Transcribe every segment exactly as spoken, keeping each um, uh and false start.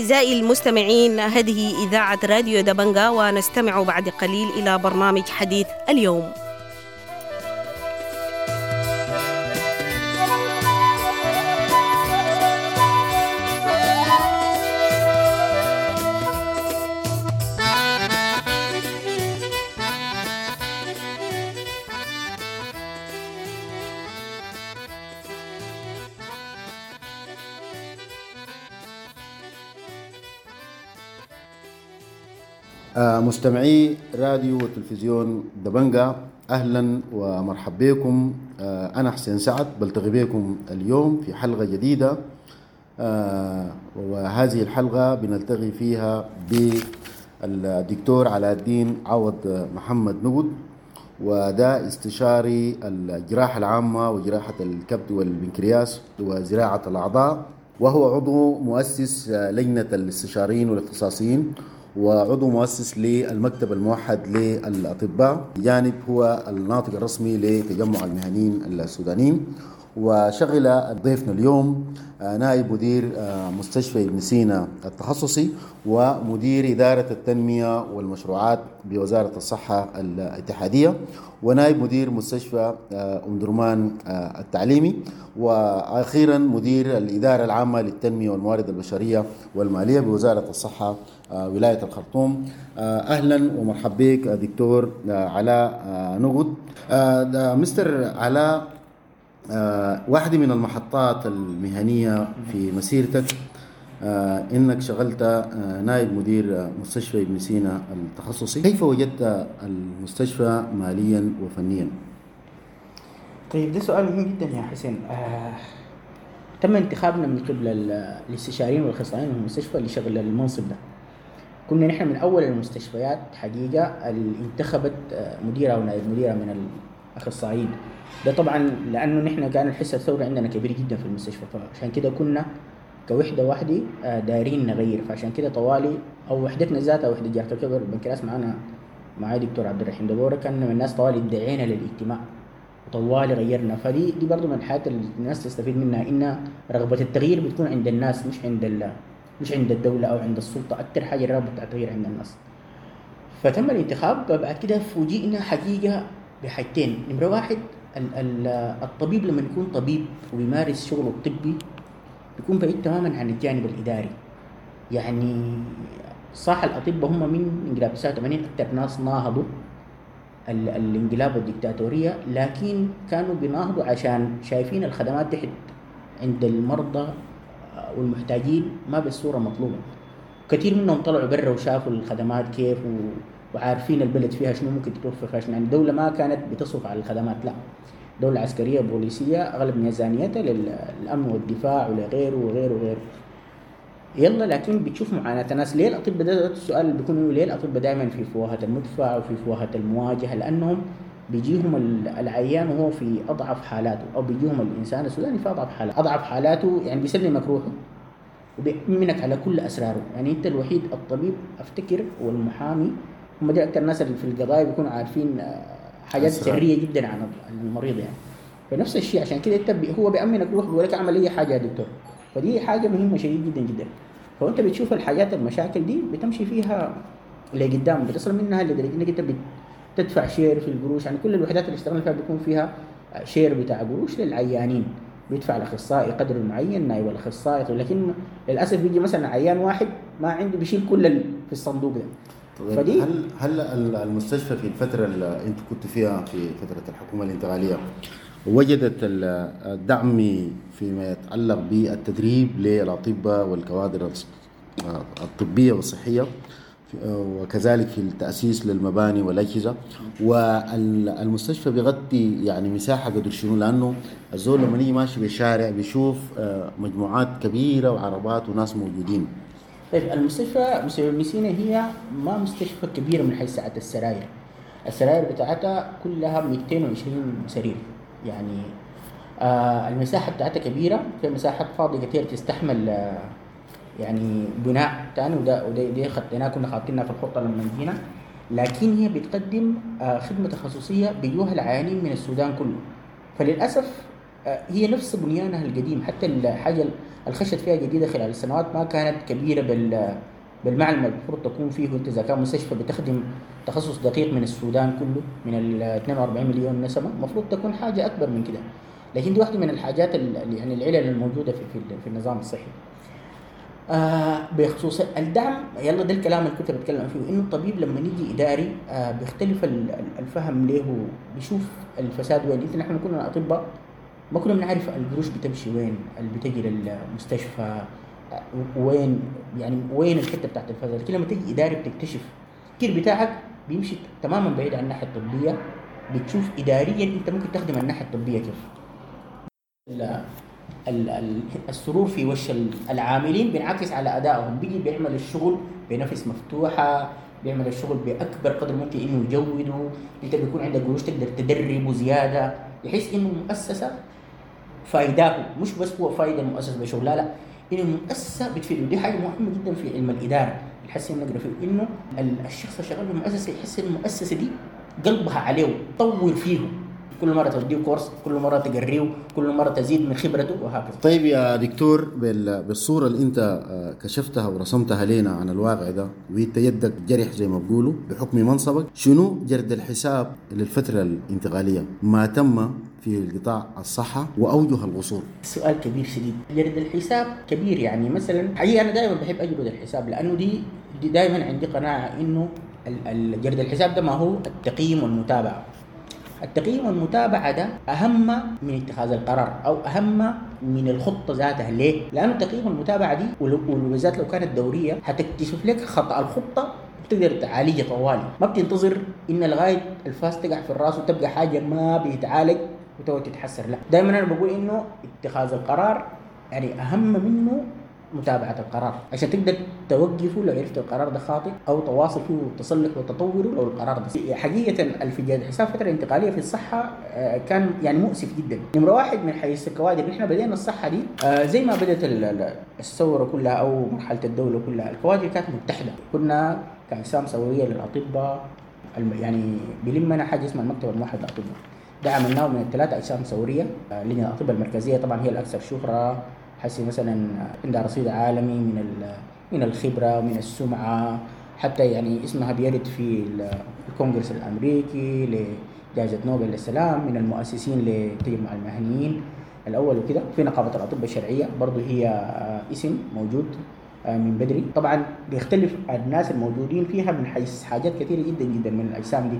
أعزائي المستمعين، هذه إذاعة راديو دبنجا، ونستمع بعد قليل إلى برنامج حديث اليوم. مستمعي راديو وتلفزيون دبنجا، أهلا ومرحبا بكم. أنا حسين سعد، بلتقي بكم اليوم في حلقة جديدة، وهذه الحلقة بنلتقي فيها بالدكتور علاء الدين عوض محمد نقد، وده استشاري الجراحة العامة وجراحة الكبد والبنكرياس وزراعة الأعضاء، وهو عضو مؤسس لجنة الاستشاريين والاختصاصيين وعضو مؤسس للمكتب الموحد للأطباء، بجانب هو الناطق الرسمي لتجمع المهنيين السودانيين. وشغل ضيفنا اليوم نائب مدير مستشفى ابن سينا التخصصي ومدير إدارة التنمية والمشروعات بوزارة الصحة الاتحادية، ونائب مدير مستشفى أم درمان التعليمي، وأخيرا مدير الإدارة العامة للتنمية والموارد البشرية والمالية بوزارة الصحة ولاية الخرطوم. أهلا ومرحبا بك دكتور علاء نقد. مستر علاء، آه واحدة من المحطات المهنية في مسيرتك آه إنك شغلت آه نائب مدير مستشفى ابن سينا التخصصي، كيف وجدت المستشفى ماليا وفنيا؟ طيب، ده سؤال مهم جدا يا حسين. آه تم انتخابنا من قبل الاستشاريين والاخصائيين في المستشفى لشغل المنصب ده. كنا نحن من أول المستشفيات حقيقة اللي انتخبت مديرة ونائب مديرة من الأخصائيين. ده طبعا لانه نحن كان الحس الثوري عندنا كبير جدا في المستشفى، فعشان كده كنا كوحده واحدة دايرين نغير، فعشان كده طوالي او وحدتنا ذاتها وحده جراحه الكبد والبنكرياس معانا معايا دكتور عبد الرحيم دبوره، كان من الناس طوالي ادعينا للاجتماع وطوالي غيرنا. فدي دي برضه من الحاجات اللي الناس تستفيد منها، ان رغبة التغيير بتكون عند الناس، مش عند مش عند الدولة او عند السلطة. اكثر حاجة الرغبة بتاع التغيير عند الناس. فتم الانتخاب. بعد كده فوجئنا حقيقة بحاجتين. نمره واحد، الطبيب لما يكون طبيب ويمارس شغله الطبي بيكون بعيد تماما عن الجانب الإداري. يعني صح الأطباء هم من انقلاب تسعة وثمانين أكثر ناس ناهضوا الانقلاب والديكتاتورية، لكن كانوا بيناهضوا عشان شايفين الخدمات تحت عند المرضى والمحتاجين ما بالصورة مطلوبة. كثير منهم طلعوا برا وشافوا الخدمات كيف و... وعارفين البلد فيها شنو ممكن تتوفر فيها شنو. يعني الدولة ما كانت بتصرف على الخدمات، لا، دولة عسكرية بوليسية أغلب ميزانيتها للأمن والدفاع ولغيره وغيره وغيره. يلا، لكن بتشوف معاناة الناس. ليه الأطباء ده السؤال اللي بيكون، ليه الأطباء دائما في فوهة المدفع وفي فوهة المواجهة؟ لأنهم بيجيهم العيان وهو في أضعف حالاته، أو بيجيهم الإنسان السوداني في أضعف حالاته. أضعف حالاته يعني بيسلمك روحه وبيأمنك على كل أسراره. يعني أنت الوحيد الطبيب أفتكر والمحامي هم دي أكثر الناس اللي في القضايا بيكونوا عارفين حاجات سرية جدا عن المريض يعني. فنفس الشيء عشان كده انت هو بيأمنك روح بيقول لك اعمل اي حاجة يا دكتور. فدي حاجة مهمة شديد جدا جدا. فانت بتشوف الحاجات المشاكل دي بتمشي فيها لقدام، بتصل منها لدرجة انك انت بتدفع share في القروش. يعني كل الوحدات اللي اشتغلنا فيها بيكون فيها share بتاع قروش للعيانين، بيدفع الاخصائي قدر معين، نائب الاخصائي. لكن للاسف بيجي مثلا عيان واحد ما عنده بيشيل كل في الصندوق ده. طيب، هل هل المستشفى في الفترة اللي انت كنت فيها في فترة الحكومة الانتقالية وجدت الدعم فيما يتعلق بالتدريب للأطباء والكوادر الطبية والصحية، وكذلك في التأسيس للمباني والأجهزة، والمستشفى بيغطي يعني مساحة قدر شنو؟ لأنه الزول لما يجي ماشي بالشارع بيشوف مجموعات كبيرة وعربات وناس موجودين. طيب، المستشفى مستشفى ابن سينا هي ما مستشفى كبيرة من حيث سعة السراير. السراير بتاعتها كلها مئتين وعشرين سرير، يعني آه المساحة بتاعتها كبيرة، في مساحات فاضية كتير تستحمل آه يعني بناء تاني، وده وده دي خطيناه كنا خاطينها في الخطة لما جينا. لكن هي بتقدم آه خدمة تخصصية بيجوها العيانين من السودان كله. فللأسف هي نفس بنيانها القديم، حتى الحاجة الخشت فيها جديدة خلال السنوات ما كانت كبيرة بال بالمعنى المفروض تكون فيه. انت اذا كان مستشفى بتخدم تخصص دقيق من السودان كله من ال اثنين وأربعين مليون نسمه، المفروض تكون حاجة اكبر من كده. لكن دي واحدة من الحاجات اللي يعني العلل الموجودة في في النظام الصحي. آه بخصوص الدعم، يلا ده الكلام اللي كنت بتكلم فيه، انه الطبيب لما يجي اداري آه بيختلف الفهم له، بيشوف الفساد وين. انت نحن كنا اطباء ما كنا بنعرف القروش بتمشي وين، اللي بتجي للمستشفى وين، يعني وين الحتة بتاعت الفساد. لكن لما تيجي اداري بتكتشف التفكير بتاعك بيمشي تماما بعيد عن الناحية الطبية، بتشوف اداريا انت ممكن تخدم الناحية الطبية كيف. ال ال السرور في وش العاملين بينعكس على ادائهم، بيجي بيعمل الشغل بنفس مفتوحة، بيعمل الشغل باكبر قدر ممكن انه يجوده. انت بيكون عندك قروش تقدر تدربه زيادة، يحس انه المؤسسة فايداه، مش بس هو فايده المؤسسة بشغلها، لا انه المؤسسة بتفيده. دي حاجة مهمة جدا في علم الادارة الحس نقرا فيه، انه الشخص اللي شغال في المؤسسة يحس ان المؤسسة دي قلبها عليه، تطور فيه، كل مرة تديه كورس، كل مرة تقريه، كل مرة تزيد من خبرته وهكذا. طيب يا دكتور، بالصورة اللي انت كشفتها ورسمتها لنا عن الواقع ده، وانت يدك جرح زي ما بقولوا بحكم منصبك، شنو جرد الحساب للفترة الانتقالية ما تم في القطاع الصحة وأوجه القصور؟ سؤال كبير شديد. جرد الحساب كبير، يعني مثلا حقيقة أنا دائما بحب أجرد الحساب، لأنه دي, دي دائما عندي قناعة إنه جرد الحساب ده ما هو التقييم والمتابعة. التقييم والمتابعة ده أهم من اتخاذ القرار أو أهم من الخطة ذاتها. ليه؟ لأنه التقييم والمتابعة دي وبالذات لو كانت دورية هتكتشف لك خطأ الخطة بتقدر تعالجها طوالي، ما بتنتظر إن لغاية الفاس تقع في الراس وتبقى حاجة ما بيتعالج وتقعد تتحسر. لا، دائما أنا بقول إنه اتخاذ القرار يعني أهم منه متابعة القرار، عشان تقدر توقفه لو عرفت القرار ده خاطئ، أو تواصل فيه وتصلح وتطوره لو القرار ده. حقيقة في حساب فترة انتقالية في الصحة كان يعني مؤسف جدا. نمرة واحد من حيث الكوادر، نحن بدينا الصحة دي زي ما بدأت الثورة كلها أو مرحلة الدولة كلها، الكوادر كانت متحدة. كنا كأجسام ثورية للأطباء، يعني بلمنا حاجة اسمها المكتب الموحد للأطباء، ده عملناه من الثلاثة أجسام ثورية. لجنة الأطباء المركزية طبعا هي الأكثر شهرة، حسي مثلا عندها رصيد عالمي من من الخبرة ومن السمعة، حتى يعني اسمها بيرد في الكونغرس الأمريكي لجائزة نوبل للسلام، من المؤسسين لتجمع المهنيين الأول وكده. في نقابة الأطباء الشرعية برضو هي اسم موجود من بدري. طبعا بيختلف الناس الموجودين فيها من حيث حاجات كثيرة جدا جدا من الأجسام دي.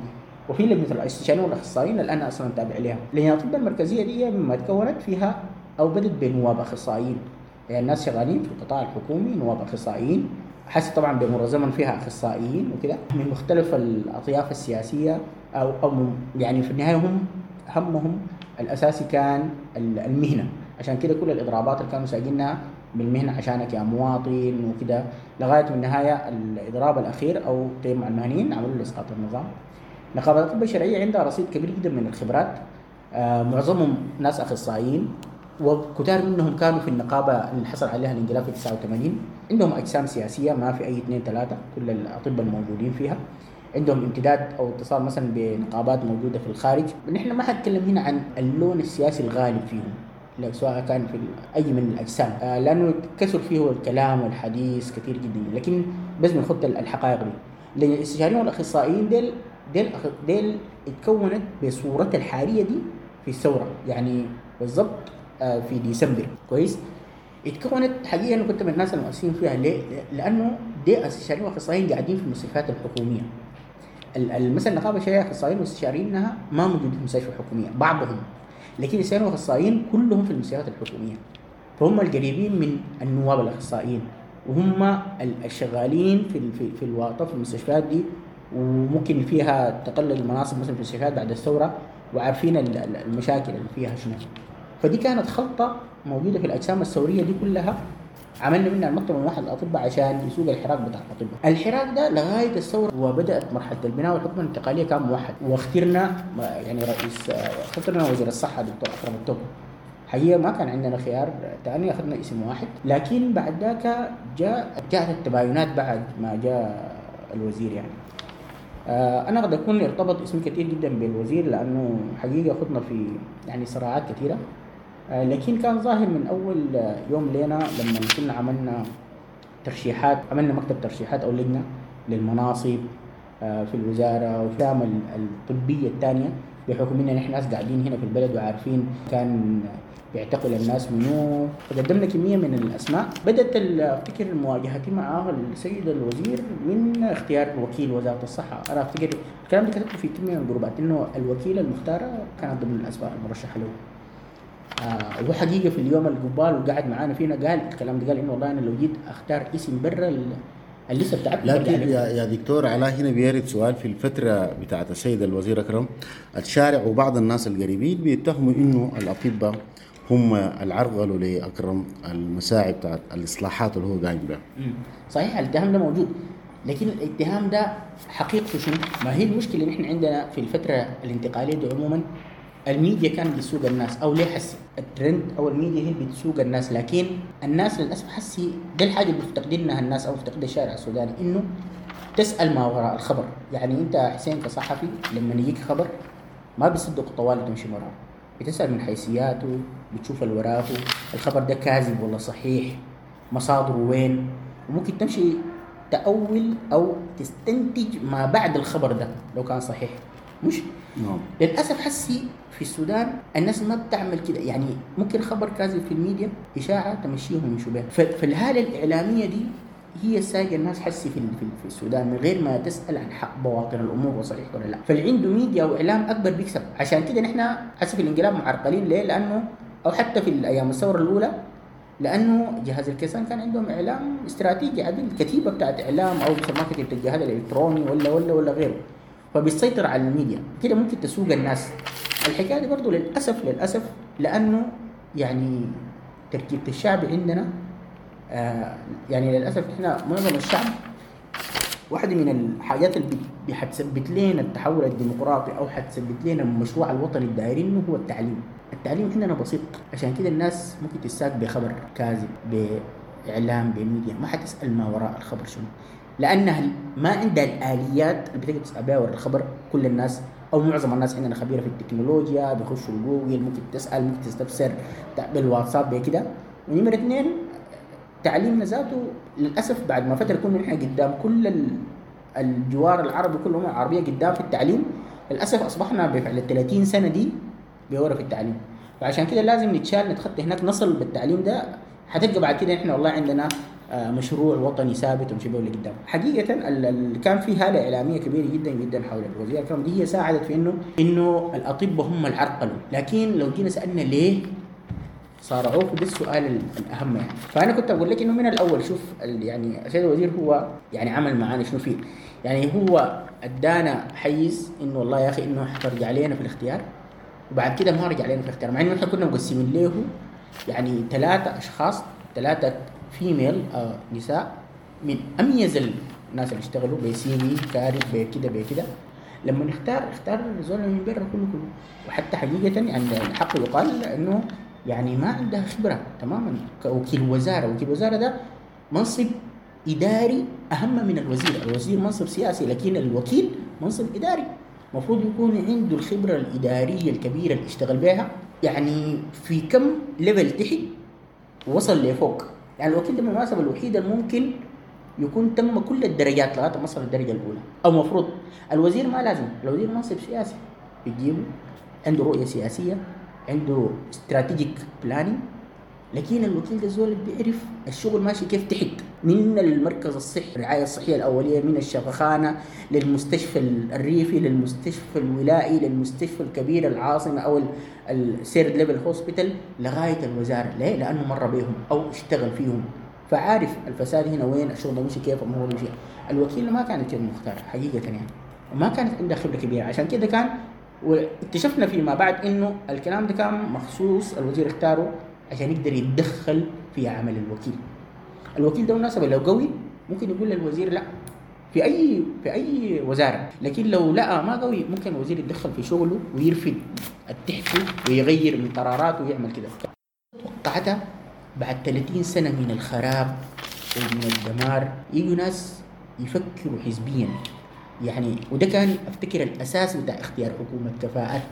وفي لجنة الاستشاريين والأخصائيين اللي أنا أصلا تابع لها. لجنة الأطباء المركزية دي مما تكونت فيها أو بدت بنواب أخصائيين، يعني الناس شغالين في القطاع الحكومي نواب أخصائيين، حس طبعا بمر زمن فيها أخصائيين وكده من مختلف الأطياف السياسية، أو أو يعني في النهاية هم همهم الأساسي كان المهنة، عشان كده كل الإضرابات اللي كانوا ساجنها بالمهنة عشانك يا مواطن وكده، لغاية من النهاية الإضراب الأخير أو تجمع المهنيين عملوا لإسقاط النظام. نقابة الأطباء الشرعية عندها رصيد كبير جدا من الخبرات، معظمهم ناس أخصائيين، وكتار منهم كانوا في النقابة اللي حصل عليها الانقلاب في تسعة وثمانين. عندهم أجسام سياسية ما في أي اثنين ثلاثة، كل الأطباء الموجودين فيها عندهم امتداد أو اتصال مثلا بنقابات موجودة في الخارج. نحن ما حنتكلم هنا عن اللون السياسي الغالب فيهم، سواء كان في أي من الأجسام، لأنه كثر فيه الكلام والحديث كثير جدا، لكن بس بنخط الحقائق دي. لأن الاستشاريين والأخصائيين ديل ديل ديل اتكونت بصورتها الحالية دي في الثورة، يعني بالضبط في ديسمبر. كويس، اتكونت حقيقة أنا كنت من الناس المؤسسين فيها. ليه؟ لأنه دي استشاريين وأخصائيين قاعدين في المستشفيات الحكومية. مثلا النقابة الشرعية أخصائيين واستشاريينها ما موجودين في المستشفى الحكومية بعضهم، لكن الاستشاريين والأخصائيين كلهم في المستشفيات الحكومية، فهم القريبين من النواب الأخصائيين، وهم الشغالين في في في الواقع في المستشفيات دي، وممكن فيها تقلل المناصب مثلا في المستشفيات بعد الثورة، وعارفين المشاكل اللي فيها شنو. فدي كانت خلطة موجودة في الأجسام الثورية دي كلها، عملنا منها المكتب الموحد للأطباء عشان يسوق الحراك بتاع الأطباء. الحراك ده لغاية الثورة وبدأت مرحلة البناء والحكم الانتقالية كان موحد، واخترنا يعني رئيس، اخترنا وزير الصحة دكتور أكرم التوم. حقيقة ما كان عندنا خيار ثاني، أخذنا اسم واحد. لكن بعد ذاك جاء جاءت التباينات بعد ما جاء الوزير. يعني أنا قد أكون ارتبط اسمي كثير جدا بالوزير، لأنه حقيقة خضنا في يعني صراعات كثيرة. آه، لكن كان ظاهر من اول يوم لنا لما كنا عملنا ترشيحات، عملنا مكتب ترشيحات او لجنة للمناصب آه، في الوزارة وفي الطبية الثانية، بحكم اننا نحن ناس قاعدين هنا في البلد وعارفين كان بيعتقل الناس منو، فقدمنا كمية من الاسماء. بدات افتكر مواجهتي معه السيد الوزير من اختيار وكيل وزارة الصحة. انا افتكر الكلام ده كتبته في كمية من الجروبات انه الوكيله المختارة كانت ضمن الاسماء المرشحه له. آه وهو حقيقة في اليوم القبال وقعد معانا فينا قال الكلام ده، قال انه والله انا لو جيت اختار اسم برا اللسه بتاعتكم. لكن يا يا دكتور علاء هنا بيرد سؤال في الفترة بتاعت السيد الوزير اكرم، الشارع وبعض الناس القريبين بيتهموا انه الاطباء هم العرقلوا لاكرم المساعي بتاعت الاصلاحات اللي هو قايم بها. صحيح الاتهام ده موجود، لكن الاتهام ده حقيقته شنو؟ ما هي المشكلة اللي احنا عندنا في الفترة الانتقالية دي عموما الميديا كانت بتسوق الناس، او ليه حسي الترند او الميديا هي اللي بتسوق الناس، لكن الناس للاسف حسي ده الحاجة اللي بيفتقدينها الناس او بيفتقدها الشارع السوداني، انه تسال ما وراء الخبر. يعني انت حسين كصحفي لما يجيك خبر ما بيصدق طوال تمشي وراه، بتسال من حيثياته، بتشوف اللي وراه، الخبر ده كاذب ولا صحيح، مصادره وين، وممكن تمشي تأول او تستنتج ما بعد الخبر ده لو كان صحيح. مش نعم. للاسف حسي في السودان الناس ما بتعمل كده، يعني ممكن خبر كاذب في الميديا اشاعة تمشيهم يمشوا بها، فالهاله الاعلامية دي هي سايقه الناس حسي في في السودان من غير ما تسال عن حق بواطن الامور وصحيح ولا لا. فاللي عنده ميديا واعلام اكبر بيكسب. عشان كده نحن حسي في الانقلاب معرقلين. ليه؟ لانه او حتى في الايام الثورة الاولى، لانه جهاز الكيسان كان عندهم اعلام استراتيجي عدل، كتيبة بتاعت اعلام او بيسموها كتيبة الجهاز الالكتروني ولا ولا ولا غيره، فبيسيطر على الميديا كده ممكن تسوق الناس. الحكاية دي برضه للاسف للاسف لانه يعني تركيبه الشعب عندنا آه يعني للاسف احنا معظم الشعب واحدة من الحاجات اللي حتثبت لنا التحول الديمقراطي او حتثبت لنا المشروع الوطني الدايرينه هو التعليم. التعليم عندنا بسيط، عشان كده الناس ممكن تساق بخبر كاذب باعلام بميديا، ما حتسال ما وراء الخبر شنو، لانها ما عندها الاليات اللي بتقدر تسال بها وراء الخبر. كل الناس او معظم الناس عندنا خبيرة في التكنولوجيا، بيخشوا جوجل، ممكن تسال، ممكن تستفسر بالواتساب بكده. ونمره اثنين تعليمنا ذاته للاسف بعد ما فترة كنا نحن قدام كل الجوار العربي، كل الامم العربية قدام في التعليم، للاسف اصبحنا بفعل ال ثلاثين سنة دي بورا في التعليم. فعشان كده لازم نتشال نتخطى هناك، نصل بالتعليم ده. حتلقى بعد كده احنا والله عندنا مشروع وطني ثابت ونمشي به لقدام. حقيقة اللي كان في هاله اعلامية كبيرة جدا جدا حول الوزير اكرم دي هي ساعدت في انه انه الاطباء هم العرقلوا. لكن لو جينا سالنا ليه صارعوه، ده السؤال الاهم يعني. فانا كنت اقول لك انه من الاول شوف يعني السيد الوزير هو يعني عمل معانا شنو فيه، يعني هو ادانا حيز انه والله يا اخي انه حترجع لنا في الاختيار، وبعد كده ما رجع لنا في الاختيار، مع انه احنا كنا مقسمين له يعني ثلاثة اشخاص، ثلاثة female آه نساء من اميز الناس اللي اشتغلوا ب CV كارب بكده بكده. لما نختار اختار زول من برا كله كله، وحتى حقيقة يعني الحق يقال انه يعني ما عندها خبره تماما كوكيل وزارة. وكيل وزارة ده منصب اداري اهم من الوزير، الوزير منصب سياسي لكن الوكيل منصب اداري، المفروض يكون عنده الخبرة الادارية الكبيرة اللي اشتغل بها يعني في كم level تحت وصل لفوق. يعني الوكيل ده بالمناسبة الوحيد الممكن يكون تم كل الدرجات لغاية ما وصل الدرجة الاولى، او مفروض الوزير ما لازم، الوزير منصب سياسي بتجيبه عنده رؤية سياسية، عنده strategic planning، لكن الوكيل ده زول بيعرف الشغل ماشي كيف تحت، من المركز الصحي، الرعاية الصحية الاولية، من الشفخانه للمستشفى الريفي للمستشفى الولائي للمستشفى الكبير العاصمة او ال third level hospital لغاية الوزارة. ليه؟ لانه مر بهم او اشتغل فيهم، فعارف الفساد هنا وين، الشغل ده مشي كيف، الامور مشي. الوكيل ما كانت كده مختار حقيقة يعني، وما كانت عنده خبره كبيرة، عشان كده كان واكتشفنا فيما بعد انه الكلام ده كان مخصوص الوزير اختاره عشان يقدر يتدخل في عمل الوكيل. الوكيل ده بالمناسبة لو قوي ممكن يقول للوزير لا في اي في اي وزارة، لكن لو لقى ما قوي ممكن الوزير يتدخل في شغله ويرفض التحته ويغير من قراراته ويعمل كده. توقعتها بعد ثلاثين سنة من الخراب ومن الدمار يجوا ناس يفكروا حزبيا يعني، وده كان افتكر الاساس بتاع اختيار حكومة كفاءات.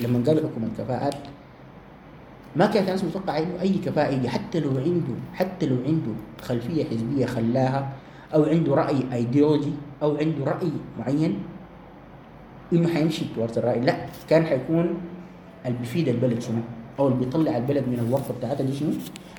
لما قالوا حكومة كفاءات ما كانت الناس متوقعه انه اي كفاءة يجي حتى لو عنده حتى لو عنده خلفية حزبية خلاها، او عنده راي ايديولوجي، او عنده راي معين انه حيمشي towards الراي، لا كان حيكون اللي بيفيد البلد شنو، او اللي بيطلع البلد من الورطة بتاعتها دي شنو،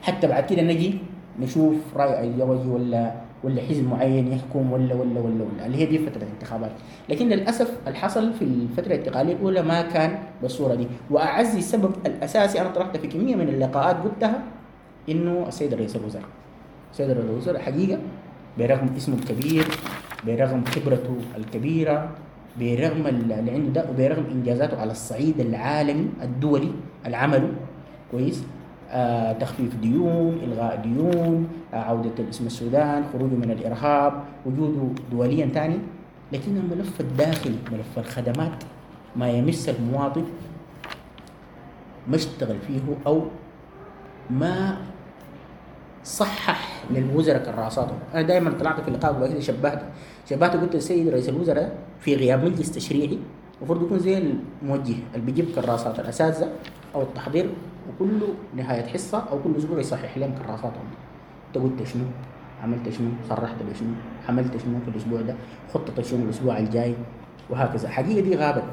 حتى بعد كده نجي نشوف راي ايديولوجي ولا ولا حزب معين يحكم ولا ولا ولا ولا اللي هي دي فترة الانتخابات. لكن للاسف اللي حصل في الفترة الانتقالية الاولى ما كان بالصورة دي. واعزي السبب الاساسي انا طرحته في كمية من اللقاءات قلتها، انه السيد رئيس الوزراء، السيد رئيس الوزراء حقيقة برغم اسمه الكبير، برغم خبرته الكبيرة، برغم اللي عنده ده، وبرغم انجازاته على الصعيد العالمي الدولي اللي عمله كويس، آه، تخفيف ديون، إلغاء ديون، آه، عودة اسم السودان، خروجه من الإرهاب، وجوده دوليا ثاني، لكن الملف الداخلي ملف الخدمات ما يمس المواطن ما اشتغل فيه أو ما صحح للوزراء كراساتهم. أنا دائما طلعت في اللقاء وبعد كده شبهت شبهت قلت للسيد رئيس الوزراء في غياب مجلس تشريعي المفروض يكون زي الموجه اللي بيجيب كراسات الأساتذة أو التحضير، وكل نهاية حصة أو كل أسبوع يصحح لهم كراساتهم. أنت قلت شنو؟ عملت شنو؟ صرحت بشنو؟ عملت شنو في الأسبوع ده؟ خطة شنو الأسبوع الجاي؟ وهكذا. حقيقة دي غابت،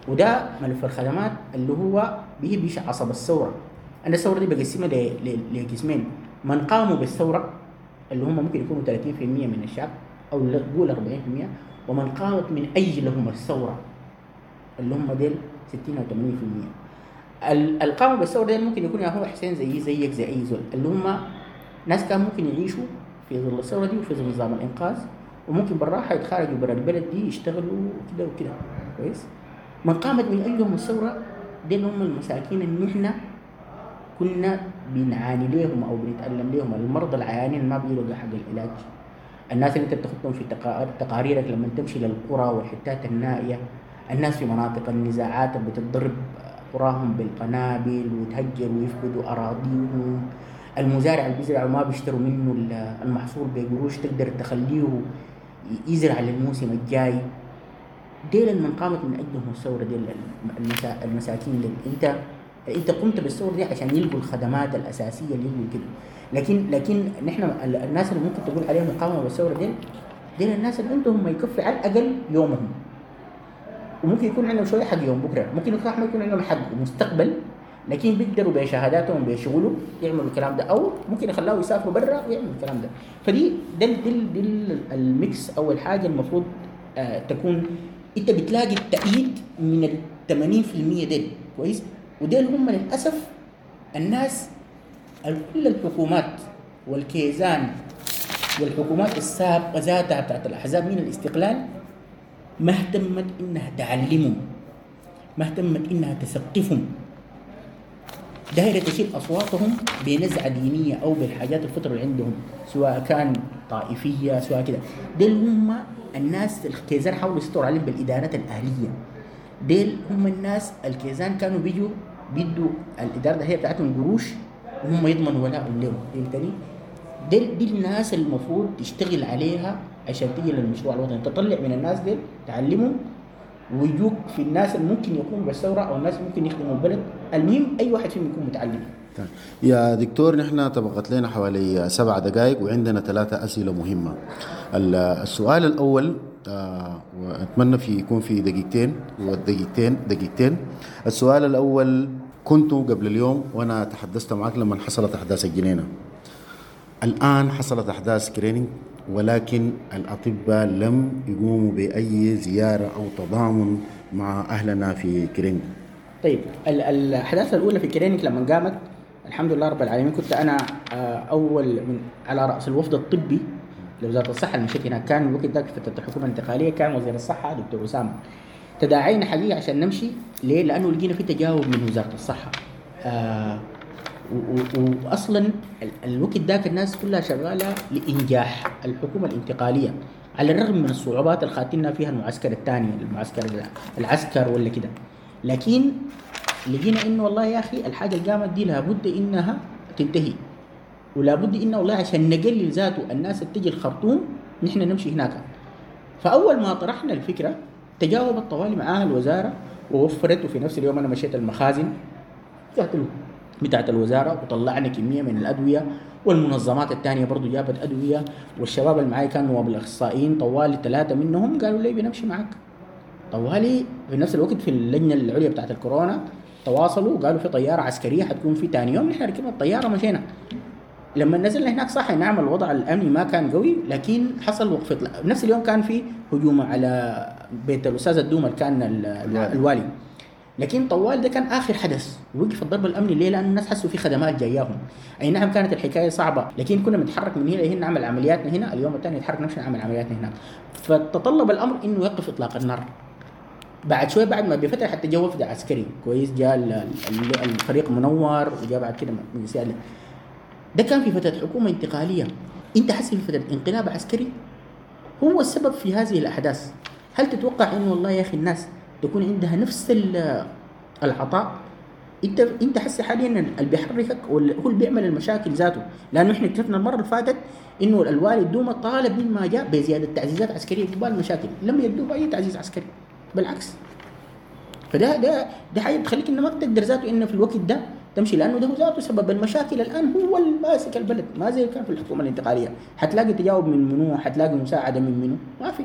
وده ملف الخدمات اللي هو بيش عصب الثورة. أنا الثورة دي بقسمها لقسمين، من قاموا بالثورة اللي هم ممكن يكونوا ثلاثين بالمئة من الشعب أو قول أربعين بالمئة، ومن قامت من أجلهم الثورة اللي هم ديل ستين أو ثمانين بالمئة. القاموا بالثورة ديل ممكن يكون يا هو حسين زي زيك زي أي زول، اللي هم ناس كان ممكن يعيشوا في ظل الثورة دي وفي ظل نظام الإنقاذ، وممكن بالراحة يتخرجوا برا البلد دي يشتغلوا كده وكده كويس. من قامت من أجلهم الثورة ديل هم المساكين اللي نحن كنا بنعاني ليهم أو بنتألم ليهم، المرضى العيانين ما بيلقوا حق العلاج، الناس اللي انت بتاخدهم في تقاريرك لما تمشي للقرى والحتات النائية، الناس في مناطق النزاعات اللي بتضرب قراهم بالقنابل ويتهجروا ويفقدوا أراضيهم، المزارع اللي بيزرع وما بيشتروا منه المحصول بقروش تقدر تخليه يزرع للموسم الجاي. ديل من قامت من أجلهم الثورة، ديل المساكين ديل. انت انت قمت بالثورة دي عشان يلقوا الخدمات الأساسية اللي يلقوا كده، لكن لكن نحن الناس اللي ممكن تقول عليهم قاموا بالثورة ديل ديل الناس اللي عندهم ما يكفي على الأقل يومهم، وممكن يكون عندهم شوية حق يوم بكرة، ممكن يكون ما يكون عندهم حق مستقبل، لكن بيقدروا بشهاداتهم بشغلهم يعملوا الكلام ده، أو ممكن يخلوه يسافروا برا ويعملوا الكلام ده. فدي ده دل دل ال mix. أول حاجة المفروض آه تكون أنت بتلاقي التأييد من ال ثمانين بالمئة ديل كويس، وديل هم للأسف الناس كل الحكومات والكيزان والحكومات السابقة ذاتها بتاعت الأحزاب من الاستقلال ما اهتمت إنها تعلمهم، ما اهتمت إنها تثقفهم، دايرة تشيل أصواتهم بنزعة دينية أو بالحاجات الفطرة اللي عندهم، سواء كان طائفية سواء كده. ديل هم الناس الكيزان حاولوا يسيطروا عليهم بالإدارات الأهلية. ديل هم الناس الكيزان كانوا بيجوا بيدوا الإدارة هي بتاعتهم قروش وهم يضمنوا ولاءهم لهم. فهمتني؟ ديل دي الناس المفروض تشتغل عليها عشان تيجي للمشروع الوطني، تطلع من الناس ديل تعلمهم ويجوك في الناس اللي ممكن يقوموا بالثورة أو الناس ممكن يخدموا البلد. المهم أي واحد فيهم يكون متعلم. طيب يا دكتور، نحن تبقت لنا حوالي سبع دقائق وعندنا ثلاثة أسئلة مهمة. السؤال الأول آه وأتمنى في يكون في دقيقتين والدقيقتين دقيقتين. السؤال الأول، كنت قبل اليوم وأنا تحدثت معك لما حصلت أحداث الجنينة، الآن حصلت أحداث كرينينج ولكن الأطباء لم يقوموا بأي زيارة أو تضامن مع أهلنا في كرينينج. طيب الأحداث الأولى في كرينينج لما قامت الحمد لله رب العالمين كنت أنا أول من على رأس الوفد الطبي لوزارة الصحة المشيت هناك. كان الوقت ذاك في فترة الحكومة الانتقالية كان وزير الصحة دكتور أسامة. تداعينا حقيقة عشان نمشي ليه؟ لأنه لقينا في تجاوب من وزارة الصحة. آه وأصلا الوقت ذاك الناس كلها شغالة لإنجاح الحكومة الانتقالية على الرغم من الصعوبات اللي خاتلنا فيها المعسكر الثاني، المعسكر العسكر ولا كده، لكن لقينا إنه والله يا أخي الحاجة اللي قامت دي لابد إنها تنتهي، ولابد إنه والله عشان نقلل ذاته الناس اللي تجي الخرطوم نحن نمشي هناك. فأول ما طرحنا الفكرة تجاوبت طوالي معاها الوزارة ووفرت، وفي نفس اليوم أنا مشيت المخازن قلت له بتاعت الوزارة وطلعنا كمية من الادوية، والمنظمات الثانية برضو جابت ادوية، والشباب اللي معي كانوا نواب الاخصائيين طوالي ثلاثة منهم قالوا لي بنمشي معك. طوالي في نفس الوقت في اللجنة العليا بتاعت الكورونا تواصلوا وقالوا في طيارة عسكرية حتكون في ثاني يوم، نحن ركبنا الطيارة مشينا. لما نزلنا هناك صح نعم الوضع الامني ما كان قوي، لكن حصل وقفه. نفس اليوم كان في هجوم على بيت الاستاذ الدومه اللي كان الوالي. الوالي، لكن طوال ده كان اخر حدث وقف الضرب الامني. ليه؟ لان الناس حسوا في خدمات جاياهم. اي نعم كانت الحكاية صعبة، لكن كنا بنتحرك من هنا لهنا نعمل عملياتنا هنا، اليوم الثاني نتحرك نمشي نعمل عملياتنا هناك. فتطلب الامر انه يوقف اطلاق النار. بعد شوي بعد ما بفترة حتى جا وفد عسكري كويس، جاء الفريق منور وجاء بعد كده مجلس. ده كان في فترة حكومة انتقالية. انت حسي في فترة انقلاب عسكري هو السبب في هذه الاحداث. هل تتوقع انه والله يا اخي الناس تكون عندها نفس العطاء؟ انت انت حس حاليا اللي بيحركك هو اللي بيعمل المشاكل ذاته، لانه احنا اكتشفنا المرة اللي فاتت انه الوالي الدومه طالب مما جاء بزيادة تعزيزات عسكرية قبال المشاكل، لم يدوه اي تعزيز عسكري بالعكس. فده ده ده حاجة بتخليك انه ما بتقدر ذاته انه في الوقت ده تمشي، لانه ده ذاته سبب المشاكل الان، هو اللي ماسك البلد، ما زي كان في الحكومة الانتقالية. حتلاقي تجاوب من منو، حتلاقي مساعدة من منو، ما في.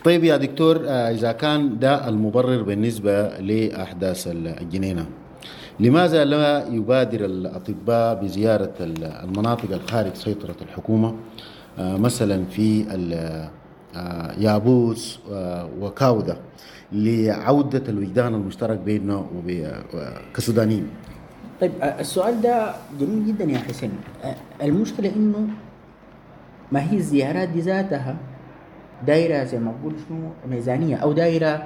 طيب يا دكتور، إذا كان ده المبرر بالنسبة لأحداث الجنينة، لماذا لا يبادر الأطباء بزيارة المناطق الخارج سيطرة الحكومة، مثلا في يابوس وكاودة، لعودة الوجدان المشترك بيننا كسودانيين؟ طيب السؤال ده جميل جدا يا حسين. المشكلة إنه ما هي الزيارات دي ذاتها دايرة زي ما بقول شنو ميزانية او دايرة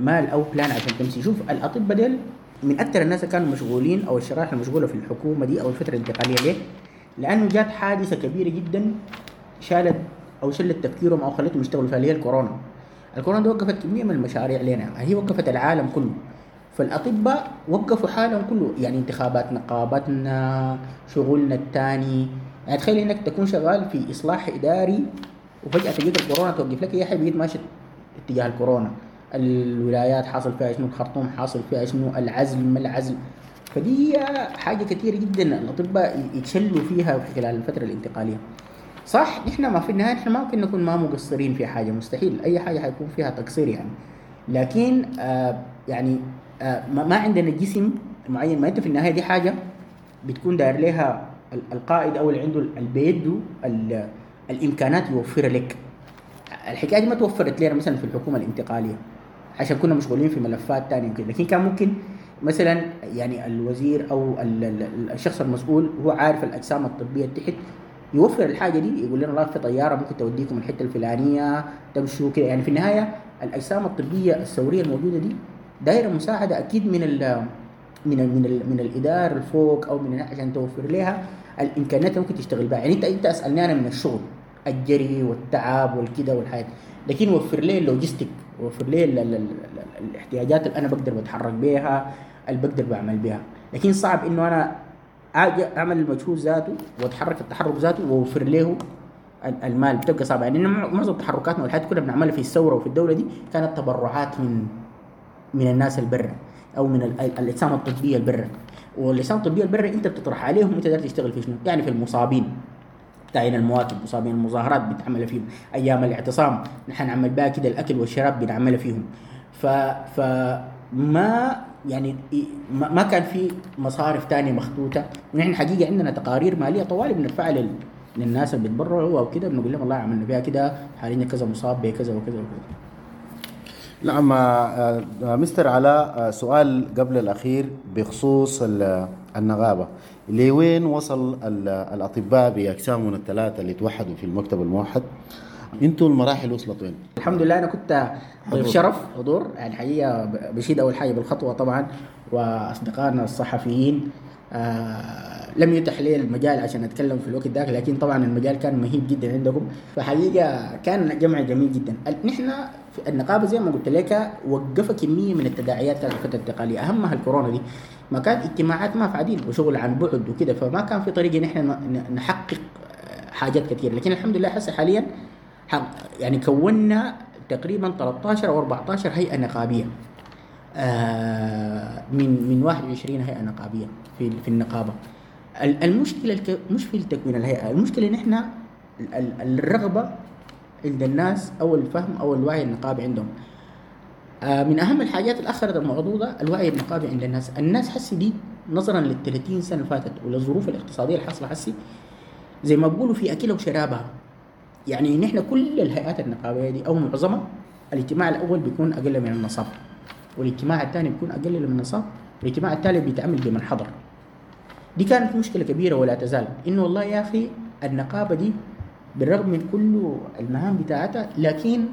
مال او plan عشان تمشي. شوف الاطباء ديل من اكثر الناس اللي كانوا مشغولين او الشرائح المشغوله في الحكومة دي او الفترة الانتقالية. ليه؟ لانه جات حادثه كبيرة جدا شالت او شلت تفكيرهم او خلتهم يشتغلوا فيها، اللي هي الكورونا. الكورونا دي وقفت كمية من المشاريع لنا، هي وقفت العالم كله. فالاطباء وقفوا حالهم كله، يعني انتخابات نقابتنا، شغلنا الثاني. يعني تخيل انك تكون شغال في اصلاح اداري وفجأة تجيك الكورونا توقف لك يا حبيبي، ماشي اتجاه الكورونا، الولايات حاصل فيها شنو، الخرطوم حاصل فيها شنو، العزل ما العزل. فدي حاجة كثيرة جدا الأطباء يتشلوا فيها في خلال الفترة الانتقالية. صح نحن ما في النهاية نحن ما ممكن نكون ما مقصرين في حاجة، مستحيل أي حاجة حيكون فيها تقصير يعني، لكن آه يعني آه ما عندنا جسم معين. ما أنت في النهاية دي حاجة بتكون داير لها القائد أو اللي عنده اللي بيده الامكانات يوفرها لك. الحكاية دي ما توفرت لنا مثلا في الحكومة الانتقالية عشان كنا مشغولين في ملفات ثانية وكده، لكن كان ممكن مثلا يعني الوزير او الشخص المسؤول هو عارف الاجسام الطبية تحت يوفر الحاجة دي، يقول لنا والله في طيارة ممكن توديكم الحتة الفلانية تمشوا كده. يعني في النهاية الاجسام الطبية الثورية الموجودة دي دايرة مساعدة اكيد من ال من ال من, ال من الادارة الفوق او من عشان توفر لها الامكانيات اللي ممكن تشتغل بها. يعني انت انت اسالني انا من الشغل الجري والتعب والكده والحياة، لكن وفر لي ال logistic، وفر لي ال ال ال الاحتياجات اللي انا بقدر بتحرك بيها، اللي بقدر بعمل بيها. لكن صعب انه انا اجي اعمل المجهود ذاته واتحرك التحرك ذاته واوفر له المال، بتبقى صعبة. يعني معظم تحركاتنا والحياة كلها بنعملها في الثورة وفي الدولة دي كانت تبرعات من من الناس البرة او من الاجسام الطبية البرة. والاجسام الطبية البرة انت بتطرح عليهم انت داير تشتغل في شنو، يعني في المصابين بتاعين المواكب، مصابين المظاهرات بتعمل فيهم، ايام الاعتصام نحن نعمل بها كده، الاكل والشراب بنعملها فيهم. ف فما يعني ما كان في مصارف تانية مخطوطة. ونحن حقيقة عندنا تقارير ماليه طوالي بنرفعها لل... للناس اللي بيتبرعوا او كده، بنقول لهم والله عملنا فيها كده، حاليا كذا مصاب بكذا وكذا وكذا. نعم مستر علاء، سؤال قبل الأخير بخصوص النغابة، لوين وصل الأطباء بأجسامهم الثلاثة اللي توحدوا في المكتب الموحد؟ انتوا المراحل وصلت وين؟ الحمد لله أنا كنت ضيف شرف حضور، يعني حقيقة بشيد أول حاجة بالخطوة طبعا، وأصدقائنا الصحفيين آه لم يتح لي المجال عشان أتكلم في الوقت ذاك، لكن طبعا المجال كان مهيب جدا عندكم، فحقيقة كان جمع جميل جدا. نحن في النقابة زي ما قلت لك وقف كمية من التداعيات كانت الفترة الانتقالية، أهمها الكورونا دي، ما كان اجتماعات ما في عديل وشغل عن بعد وكده، فما كان في طريقة نحن نحقق حاجات كثير. لكن الحمد لله حس حاليا يعني كونا تقريبا ثلاثة عشر أو أربعة عشر هيئة نقابية. آه من من واحد وعشرين هيئة نقابيه في في النقابة. المشكلة مش في تكوين الهيئة، المشكلة ان احنا الرغبة عند الناس او الفهم او الوعي النقابي عندهم. آه من اهم الحاجات اللي اخرت الموضوع ده الوعي النقابي عند الناس. الناس حسي دي نظرا لل ثلاثين سنة اللي فاتت وللظروف الاقتصادية اللي حاصله حسي، زي ما بيقولوا في اكلها وشرابها. يعني نحن كل الهيئات النقابيه دي او معظمها الاجتماع الاول بيكون اقل من النصاب، والاجتماع الثاني بيكون اقل من النصاب، والاجتماع الثالث بيتعمل بمن حضر. دي كانت مشكلة كبيرة ولا تزال، انه والله يا اخي النقابة دي بالرغم من كل المهام بتاعتها، لكن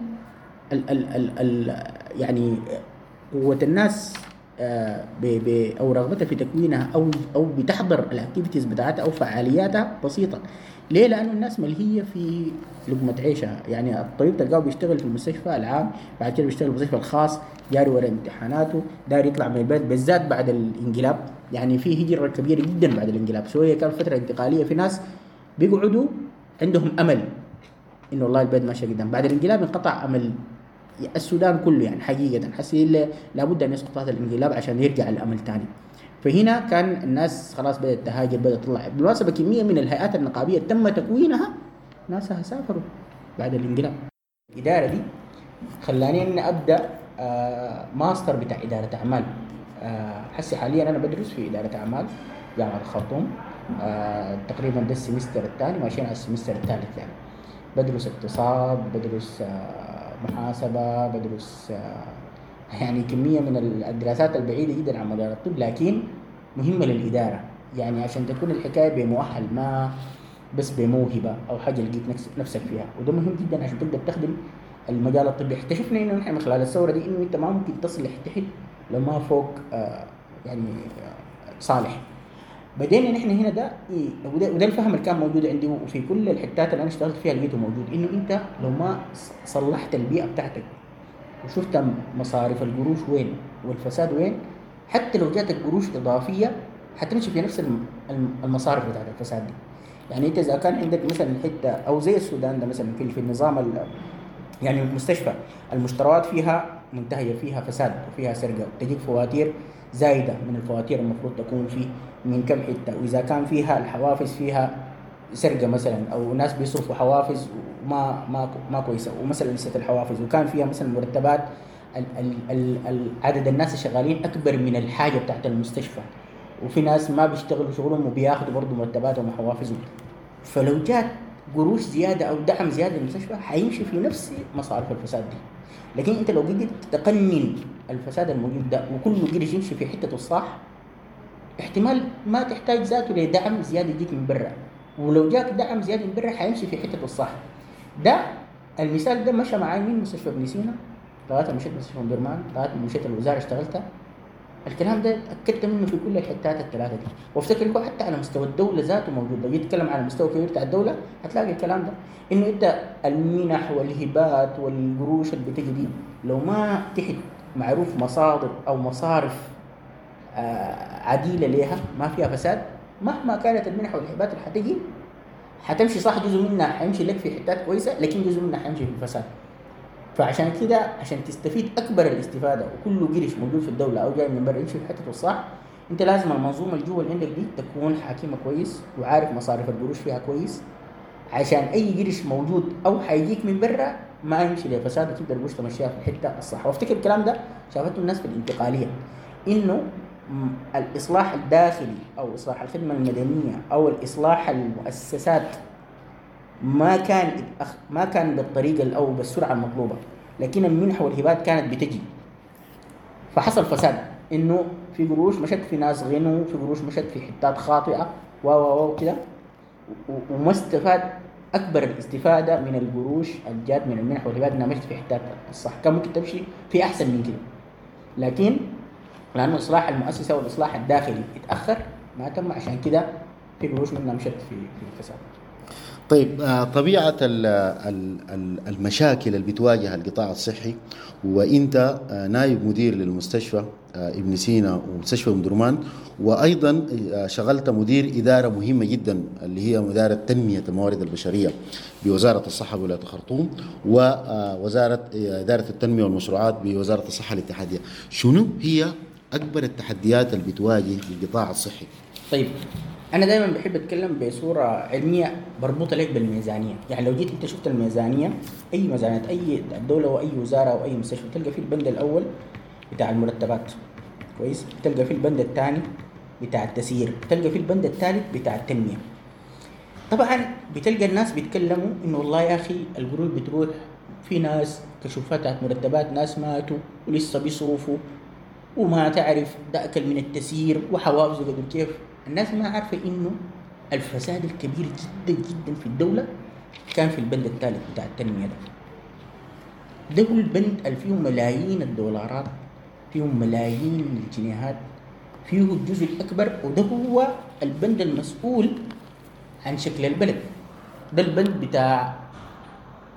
ال ال ال ال يعني قوة الناس ب ب او رغبتها في تكوينها او او بتحضر ال activities بتاعتها او فعالياتها بسيطة. ليه؟ لانه الناس ملهيه في لقمة عيشها. يعني الطبيب تلقاه بيشتغل في المستشفى العام، بعد كده بيشتغل في المستشفى الخاص، جاري ورا امتحاناته، داير يطلع من البلد، بالذات بعد الانقلاب. يعني في هجره كبيرة جدا بعد الانقلاب، شوية كان فترة انتقالية، في ناس بيقعدوا عندهم امل انه والله البلد ماشية قدام. بعد الانقلاب انقطع امل السودان كله، يعني حقيقة حسي لابد ان يسقط هذا الانقلاب عشان يرجع الامل ثاني. فهنا كان الناس خلاص بدات تهاجر، بدات تطلع. بالمناسبة كمية من الهيئات النقابيه تم تكوينها ناسها سافروا بعد الانقلاب. الادارة دي خلاني اني ابدا آه ماستر بتاع ادارة اعمال. آه حسي حاليا انا بدرس في ادارة اعمال جامعه الخرطوم، آه تقريبا ده ال semester الثاني، ماشيين على ال semester الثالث. يعني بدرس اقتصاد، بدرس آه محاسبه، بدرس آه يعني كمية من الدراسات البعيدة جدا عن مجال الطب، لكن مهمة للادارة. يعني عشان تكون الحكاية بمؤهل، ما بس بموهبه او حاجة لقيت نفسك فيها، وده مهم جدا عشان تقدر تخدم المجال الطبي. اكتشفنا انه نحن من خلال الثورة دي انه انت ما ممكن تصل تحت لو ما فوق آه يعني آه صالح. بدينا نحن هنا ده إيه، وده, وده الفهم اللي كان موجود عندي وفي كل الحتات اللي انا اشتغلت فيها لقيته موجود، انه انت لو ما صلحت البيئة بتاعتك وشفت مصاريف القروش وين والفساد وين، حتى لو جاتك قروش اضافية حتمشي في نفس المصارف بتاعت الفساد دي. يعني انت اذا كان عندك مثلا حتة او زي السودان ده مثلا في النظام يعني المستشفى المشتريات فيها منتهية، فيها فساد وفيها سرقه، وتجيك فواتير زايدة من الفواتير المفروض تكون في من كم حتة، واذا كان فيها الحوافز فيها سرقه مثلا، او ناس بيصرفوا حوافز وما ما ما كويسة، ومثلا لسه الحوافز، وكان فيها مثلا مرتبات ال ال ال عدد الناس الشغالين اكبر من الحاجة بتاعت المستشفى، وفي ناس ما بيشتغلوا شغلهم وبياخذوا برضه مرتباتهم وحوافزهم. فلو جات قروش زيادة او دعم زيادة للمستشفى حيمشي في نفس مصارف الفساد دي. لكن انت لو قدرت تقنن الفساد الموجود ده وكل قرش يمشي في حتته الصح، احتمال ما تحتاج ذاته لدعم زيادة يجيك من برا، ولو جاك دعم زيادة من برا حيمشي في حتته الصح. ده المثال ده مشى معاي من مستشفى ابن سينا لغاية ما مشيت مستشفى ام درمان، لغاية ما مشيت الوزارة اشتغلتها. الكلام ده اتاكدت منه في كل الحتات الثلاثة دي، وافتكر هو حتى على مستوى الدولة ذاته موجود. لو جيت تتكلم على المستوى الكبير بتاع الدولة هتلاقي الكلام ده، انه انت المنح والهبات والقروش اللي بتجي دي لو ما تحت معروف مصادر او مصارف آه عديله ليها ما فيها فساد، مهما كانت المنح والهبات اللي حتجي حتمشي صح، جزء منها حيمشي لك في حتات كويسة، لكن جزء منها حيمشي في الفساد. فعشان كده عشان تستفيد اكبر الاستفادة وكل قرش موجود في الدولة او جاي من برا يمشي في حتته الصح، انت لازم المنظومة اللي جوا اللي عندك دي تكون حاكمه كويس وعارف مصاريف القروش فيها كويس، عشان اي قرش موجود او حيجيك من برا ما يمشي لفساد وتقدر القروش تمشيها في الحتة الصح. وافتكر الكلام ده شافته الناس في الانتقالية، انه الاصلاح الداخلي او اصلاح الخدمة المدنية او الاصلاح المؤسسات ما كان ما كان بالطريقة او بالسرعة المطلوبة، لكن المنح والهبات كانت بتجي. فحصل فساد، انه في قروش مشت في ناس غنوا، في قروش مشت في حتات خاطئه و و و كده، وما استفاد اكبر الاستفادة من القروش اللي جات من المنح والهبات انها مشت في حتات الصح، كان ممكن تمشي في احسن من كده، لكن لانه اصلاح المؤسسة والاصلاح الداخلي اتاخر ما تم، عشان كده في قروش منها مشت في في الفساد. طيب طبيعة المشاكل اللي بتواجه القطاع الصحي، وانت نائب مدير للمستشفى ابن سينا ومستشفى ام درمان، وايضا شغلت مدير ادارة مهمة جدا اللي هي ادارة تنمية الموارد البشرية بوزارة الصحة بولاية الخرطوم، ووزارة ادارة التنمية والمشروعات بوزارة الصحة الاتحادية. شنو هي اكبر التحديات اللي بتواجه القطاع الصحي؟ طيب انا دائما بحب اتكلم بصورة علمية بربطها لك بالميزانيه. يعني لو جيت انت شفت الميزانية، اي ميزانية اي دولة واي وزارة واي مستشفى، تلقى فيه البند الاول بتاع المرتبات، كويس، تلقى فيه البند الثاني بتاع التسيير، تلقى فيه البند الثالث بتاع التنمية. طبعا بتلقى الناس بيتكلموا انه والله يا اخي القروش بتروح في ناس كشوفات مرتبات، ناس ماتوا ولسه بيصرفوا وما تعرف ده اكل من التسيير وحوافزه قدر كيف. الناس ما عارفه انه الفساد الكبير جدا جدا في الدولة كان في البند الثالث بتاع التنمية ده. ده هو البند اللي فيه ملايين الدولارات، فيه ملايين الجنيهات، فيه الجزء الاكبر، وده هو البند المسؤول عن شكل البلد. ده البند بتاع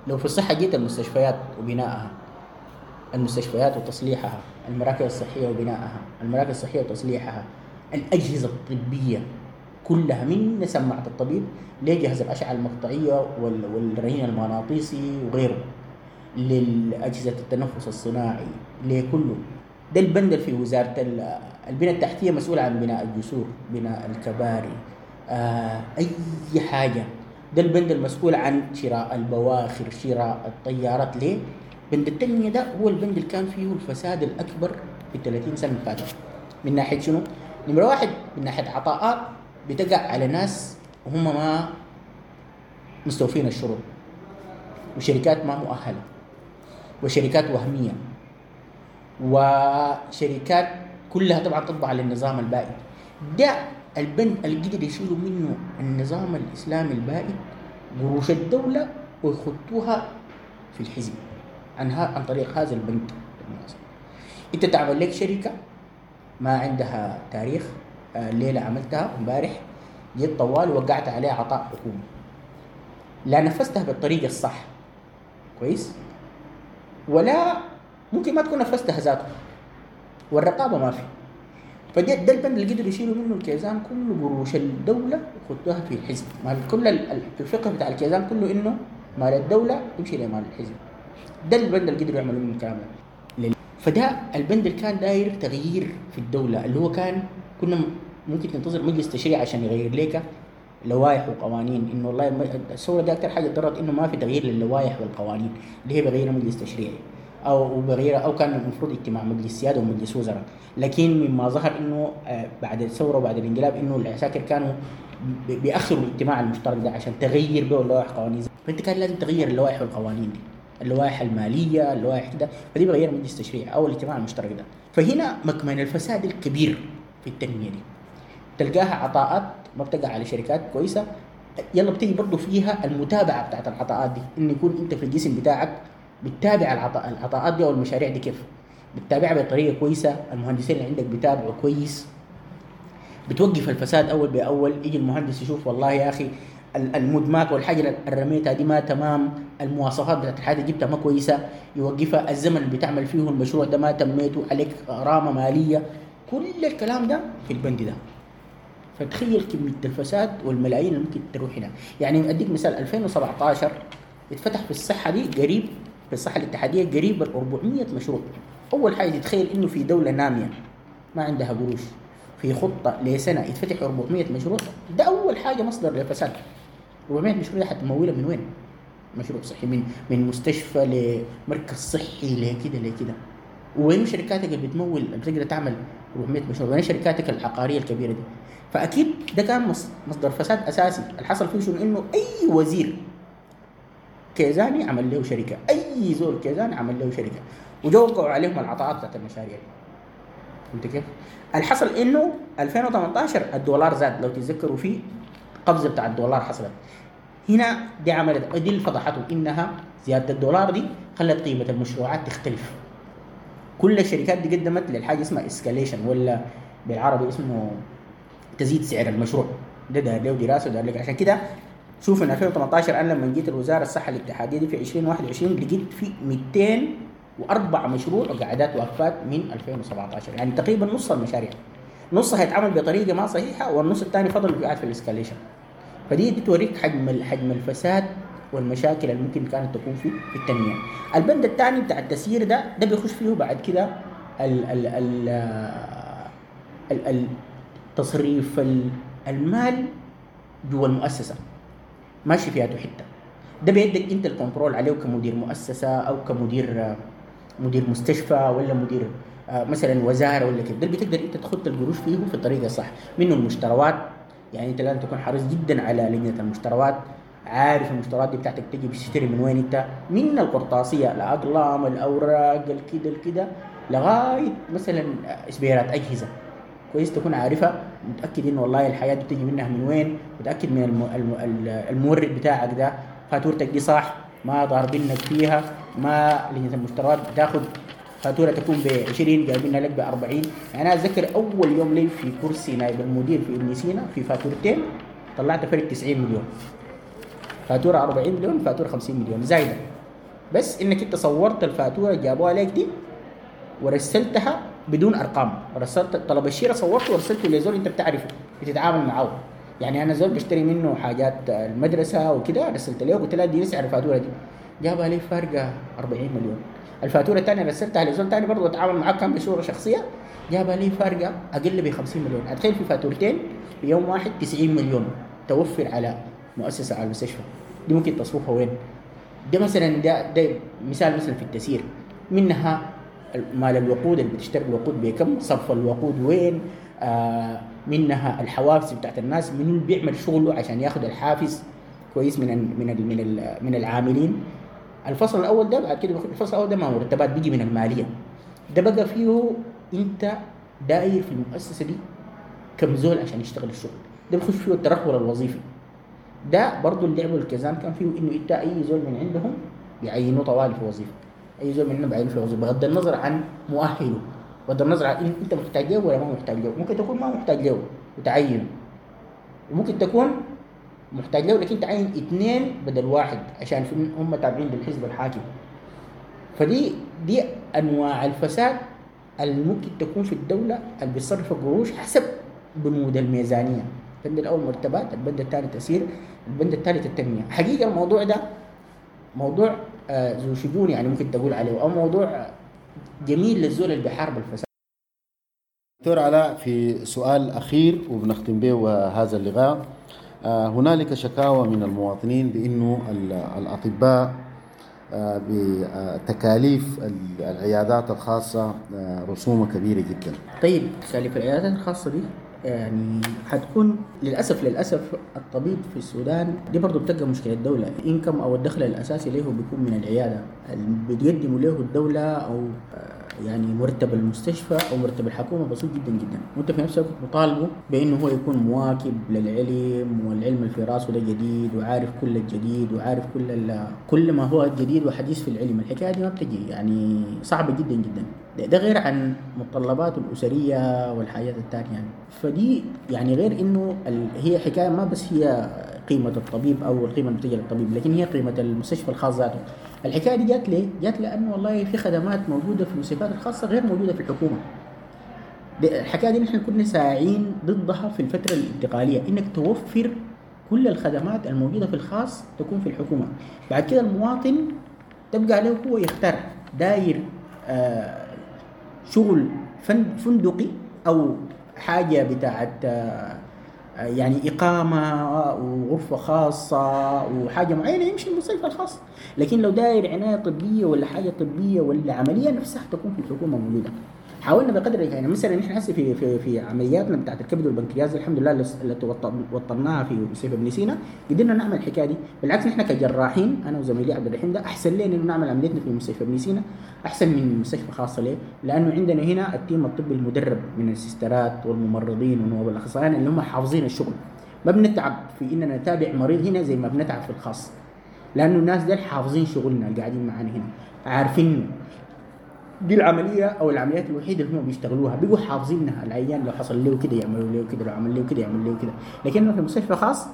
لو في الصحة جيت المستشفيات وبنائها، المستشفيات وتصليحها، المراكز الصحية وبنائها، المراكز الصحية وتصليحها، الأجهزة الطبية كلها من سماعة الطبيب لجهاز الأشعة المقطعية والرنين المغناطيسي وغيره، للأجهزة التنفس الصناعي، لكله. ده البند في وزارة البنى التحتية مسؤول عن بناء الجسور، بناء الكباري، آه، أي حاجة. ده البند المسؤول عن شراء البواخر، شراء الطيارات. ليه؟ بند التنمية ده هو البند اللي كان فيه الفساد الأكبر في ثلاثين سنة فاتت. من ناحية شنو؟ نمرة واحد من ناحية عطاءات بتقع على ناس وهم ما مستوفين الشروط، وشركات ما مؤهلة، وشركات وهمية، وشركات كلها طبعا تطبع للنظام البائد. ده البند اللي قدر يشيلوا منه النظام الإسلامي البائد قروش الدولة ويخطوها في الحزب عنها عن طريق هذا البند. انت تعمل لك شركة ما عندها تاريخ، الليلة عملتها امبارح جيت طوال وقعت عليها عطاء حكومي، لا نفذتها بالطريقة الصح، كويس، ولا ممكن ما تكون نفذتها ذاته، والرقابة ما في. فده ده البند اللي قدروا يشيلوا منه الكيزان كله قروش الدولة وخدوها في الحزب. ما كل الفقه بتاع الكيزان كله انه مال الدولة يمشي لمال الحزب. ده البند اللي قدروا يعملوا منه الكلام ده. فده البند اللي كان داير تغيير في الدولة، اللي هو كان كنا ممكن تنتظر مجلس تشريع عشان يغير لك لوائح وقوانين. انه والله الثورة دي اكثر حاجة ضرت انه ما في تغيير للوائح والقوانين اللي هي بغيرها مجلس تشريعي او بغيرها، او كان المفروض اجتماع مجلس سيادة ومجلس وزراء. لكن مما ظهر انه بعد الثورة وبعد الانقلاب انه العساكر كانوا بيأخروا الاجتماع المشترك ده عشان تغير به اللوائح والقوانين. فانت كان لازم تغير اللوائح والقوانين دي، اللوائح المالية، اللوائح كده، فدي بغير مجلس تشريع او الاجتماع المشترك ده. فهنا مكمن الفساد الكبير في التنمية دي، تلقاها عطاءات ما بتقع على شركات كويسة. يلا بتيجي برضه فيها المتابعة بتاعت العطاءات دي، ان يكون انت في الجسم بتاعك بتتابع العطاء العطاءات دي او المشاريع دي كيف بتتابعها بطريقة كويسة، المهندسين اللي عندك بيتابعوا كويس، بتوقف الفساد اول باول. يجي المهندس يشوف والله يا اخي المدماك والحاجة اللي رميتها دي ما تمام، المواصفات بتاعت الحاجة جبتها ما كويسة، يوقفها. الزمن اللي بتعمل فيه المشروع ده ما تميته، عليك غرامة ماليه. كل الكلام ده في البند ده. فتخيل كمية الفساد والملايين اللي ممكن تروح هنا. يعني اديك مثال، ألفين وسبعة عشر اتفتح في الصحة دي قريب، في الصحة الاتحادية قريب ال أربعمية مشروع. اول حاجة تتخيل انه في دولة ناميه ما عندها قروش في خطه لسنه يتفتح أربعمية مشروع، ده اول حاجة مصدر للفساد. أربعمية مشروع حتمولها من وين؟ مشروع صحي من من مستشفى لمركز صحي لكده لكده. وين شركاتك اللي بتمول اللي بتقدر تعمل أربعمية مشروع؟ وين شركاتك العقارية الكبيرة دي؟ فاكيد ده كان مصدر فساد اساسي. اللي حصل فيه شنو؟ انه اي وزير كيزاني عمل له شركة، اي زول كيزاني عمل له شركة، وجوقعوا عليهم العطاءات بتاعت المشاريع. فهمت كيف؟ اللي حصل انه ألفين وثمانية عشر الدولار زاد، لو تتذكروا في قفزه بتاع الدولار حصلت هنا، دي عملت دي اللي فضحته انها زيادة الدولار دي خلت قيمة المشروعات تختلف. كل الشركات دي قدمت للحاجة اسمها escalation، ولا بالعربي اسمه تزيد سعر المشروع. ده دار له دراسة ودار لك. عشان كده شوف من ألفين وثمانتاشر انا لما جيت الوزارة الصحة الاتحادية دي في ألفين وواحد وعشرين لقيت في مئتين وأربعة مشروع وقعدات وقفات من ألفين وسبعتاشر، يعني تقريبا نص المشاريع، نصها هيتعمل بطريقة ما صحيحه والنص الثاني فضل قاعد في ال escalation. فدي بتوريك حجم حجم الفساد والمشاكل اللي ممكن كانت تكون في في التنمية. البند الثاني بتاع التسيير ده ده بيخش فيه بعد كده ال ال ال ال تصريف المال جوا المؤسسة ماشي فيها حتة، ده بيدك انت ال control عليه كمدير مؤسسة او كمدير مدير مستشفى ولا مدير مثلا وزارة ولا كده، ده بتقدر انت تخط القروش فيه في الطريقة الصح. منه المشتروات، يعني انت لازم تكون حريص جدا على لجنة المشتروات، عارف المشتريات دي بتاعتك تجي بتشتري من وين انت، من القرطاسيه، الاقلام، الاوراق، الكده الكده، لغاية مثلا اسبيرات اجهزة. كويس تكون عارفها، متاكد انه والله الحياة دي بتجي منها من وين، متاكد من الم... المورد بتاعك ده فاتورتك دي صح، ما ضاربينك فيها، ما لجنة المشتريات بتاخد فاتورة تكون ب عشرين جايبينها لك ب أربعين. يعني انا اتذكر اول يوم لي في كرسي نائب المدير في ابن سينا في فاتورتين طلعت فرق تسعين مليون، فاتورة أربعين مليون، فاتورة خمسين مليون زايدة، بس انك انت صورت الفاتورة جابوها لك دي ورسلتها بدون ارقام، رسلت طلب الشراء صورته ورسلته لزول انت بتعرفه بتتعامل معاه. يعني انا زول بشتري منه حاجات المدرسة وكده، رسلت له قلت له دي سعر الفاتورة دي، جابها لي فارقه أربعين مليون. الفاتورة الثانية رسلتها لزول ثاني برضه اتعامل معاه كان بصورة شخصية، جابها لي فارقه اقل ب خمسين مليون. اتخيل في فاتورتين في يوم واحد تسعين مليون توفر على مؤسسة على المستشفى دي، ممكن تصرفها وين؟ ده مثلا ده, ده مثال مثلا في التسيير، منها مال الوقود اللي بتشتري الوقود بكم، صرف الوقود وين، آه منها الحوافز بتاعت الناس، من اللي بيعمل شغله عشان ياخذ الحافز كويس من ال من ال من ال من العاملين. الفصل الاول ده بعد كده الفصل الاول ده ما مرتبات بيجي من المالية، ده بقى فيه انت داير في المؤسسة دي كم زول عشان يشتغل الشغل ده، بيخش فيه الترحل الوظيفي. ده برضه اللي لعبوا الكزان كان فيه انه انت اي زول من عندهم بيعينوه طوالي في وظيفة، اي زول منهم بيعينوه في وظيفة بغض النظر عن مؤهلة، بغض النظر عن انت محتاج له ولا ما محتاج له. ممكن تكون ما محتاج له وتعينه، وممكن تكون محتاج له لكن تعين اثنين بدل واحد عشان هم تابعين للحزب الحاكم. فدي دي انواع الفساد اللي ممكن تكون في الدولة اللي بيصرف القروش حسب بنود الميزانية. البند الاول مرتبات، البند الثاني تسيير، البند الثالث التنمية. حقيقة الموضوع ده موضوع ذو شجون، يعني ممكن تقول عليه، او موضوع جميل للزول اللي بيحارب الفساد. دكتور علاء، في سؤال اخير وبنختم به هذا اللقاء. هنالك شكاوى من المواطنين بانه الاطباء بتكاليف العيادات الخاصة رسومها كبيرة جدا. طيب تكاليف العيادات الخاصة دي يعني حتكون للأسف للأسف الطبيب في السودان دي برضو بتبقى مشكلة الدولة. الإنكم أو الدخل الأساسي له بيكون من العيادة اللي بتقدمه له الدولة، أو يعني مرتب المستشفى أو مرتب الحكومة بسيط جدا جدا، وأنت في نفس الوقت مطالبه بأنه هو يكون مواكب للعلم، والعلم اللي في راسه ده جديد وعارف كل الجديد وعارف كل كل ما هو جديد وحديث في العلم. الحكاية دي ما بتجي، يعني صعبة جدا جدا. ده غير عن متطلباته الأسرية والحاجات الثانية يعني. فدي يعني غير إنه هي حكاية ما بس هي قيمة الطبيب أو القيمة اللي بتجي للطبيب، لكن هي قيمة المستشفى الخاص ذاته. الحكاية دي جات ليه؟ جات لأنه والله في خدمات موجودة في المستشفيات الخاصة غير موجودة في الحكومة. الحكاية دي نحن كنا ساعين ضدها في الفترة الانتقالية، إنك توفر كل الخدمات الموجودة في الخاص تكون في الحكومة. بعد كده المواطن تبقى عليه هو يختار داير آه شغل فندقي أو حاجة بتاعت يعني إقامة وغرفة خاصة وحاجة معينة يمشي المستشفى الخاص، لكن لو داير عناية طبية ولا حاجة طبية ولا عملية نفسها تكون في الحكومة موجودة. حاولنا بقدر يعني مثلا نحن هسه في في في عملياتنا بتاعت الكبد والبنكرياس الحمد لله اللي وطناها في مستشفى ابن سينا قدرنا نعمل الحكاية دي. بالعكس نحن كجراحين انا وزميلي عبد الرحيم ده احسن لنا انه نعمل عمليتنا في مستشفى ابن سينا احسن من مستشفى خاصة. ليه؟ لانه عندنا هنا ال team الطبي المدرب من السيسترات والممرضين ونواب الاخصائيين اللي هم حافظين الشغل. ما بنتعب في اننا نتابع مريض هنا زي ما بنتعب في الخاص، لانه الناس دول حافظين شغلنا اللي قاعدين معانا هنا، عارفين دي العملية أو العمليات الوحيدة اللي هم بيشتغلوها، بيقوا حافظينها. العيان لو حصل له كده يعملوا له كده، لو عمل له كده يعملوا له كده. لكن في المستشفى خاص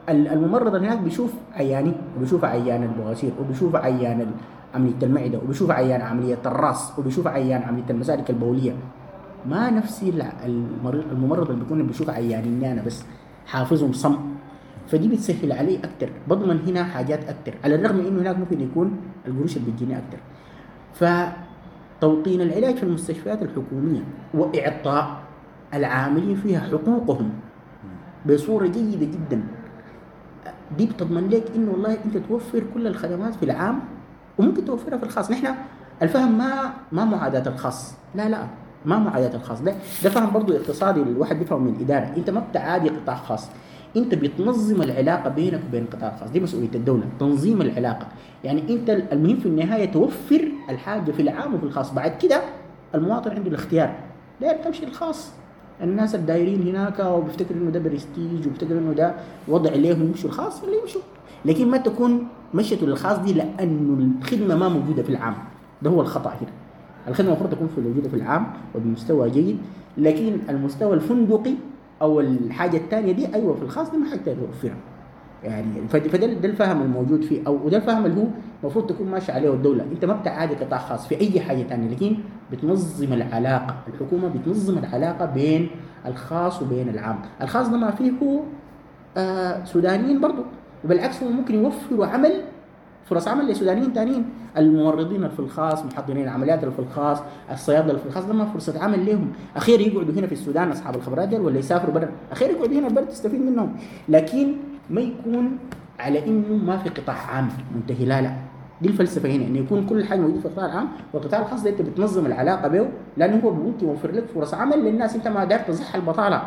الممرض اللي هناك بيشوف عياني وبيشوف عيان البواسير وبيشوف عيان عملية المعدة وبيشوف عيان عملية الراس وبيشوف عيان عملية المسالك البوليه. ما نفس المريض الممرض اللي بيكون بيشوف عيانيني انا بس حافظهم صم، فدي بتسهل علي اكثر، بضمن هنا حاجات اكثر، على الرغم انه هناك ممكن يكون القروش اللي بتجيني اكثر. فتوطين العلاج في المستشفيات الحكومية واعطاء العاملين فيها حقوقهم بصورة جيدة جدا، دي بتضمن لك انه والله انت توفر كل الخدمات في العام وممكن توفرها في الخاص. نحن الفهم ما ما معاداة الخاص، لا لا ما معاداة الخاص، ده ده فهم برضه اقتصادي الواحد بيفهم من الادارة. انت ما بتعادي قطاع خاص، انت بتنظم العلاقة بينك وبين القطاع الخاص، دي مسؤولية الدولة، تنظيم العلاقة. يعني انت المهم في النهاية توفر الحاجة في العام وفي الخاص، بعد كده المواطن عنده الاختيار، داير تمشي الخاص. الناس الدايرين هناك وبيفتكروا انه ده برستيج وبيفتكروا انه ده وضع ليهم يمشوا الخاص اللي يمشوا، لكن ما تكون مشيته للخاص دي لانه الخدمة ما موجودة في العام. ده هو الخطا هنا. الخدمة المفروض تكون في موجودة في العام وبمستوى جيد، لكن المستوى الفندقي او الحاجة الثانية دي ايوه في الخاص دي ما حتقدر توفرها. يعني فده ده الفهم الموجود فيه، او وده الفهم اللي هو المفروض تكون ماشي عليه الدولة. انت ما بتعادي قطاع خاص في اي حاجة ثانية، لكن بتنظم العلاقة، الحكومة بتنظم العلاقة بين الخاص وبين العام. الخاص ده ما فيه آه سودانيين برضه، وبالعكس هو ممكن يوفروا عمل، فرص عمل لسودانيين ثانيين، الممرضين في الخاص، محضرين العمليات اللي في الخاص، الصيادله اللي في الخاص، ده ما فرصة عمل لهم. اخير يقعدوا هنا في السودان اصحاب الخبرات دي، ولا يسافروا برا، اخير يقعدوا هنا البلد تستفيد منهم. لكن ما يكون على انه ما في قطاع عام منتهي، لا لا، دي الفلسفة هنا، انه يكون كل حاجة موجودة في القطاع العام، والقطاع الخاص ده انت بتنظم العلاقة به، لانه هو ممكن يوفر لك فرص عمل للناس. انت ما داير تزح البطالة،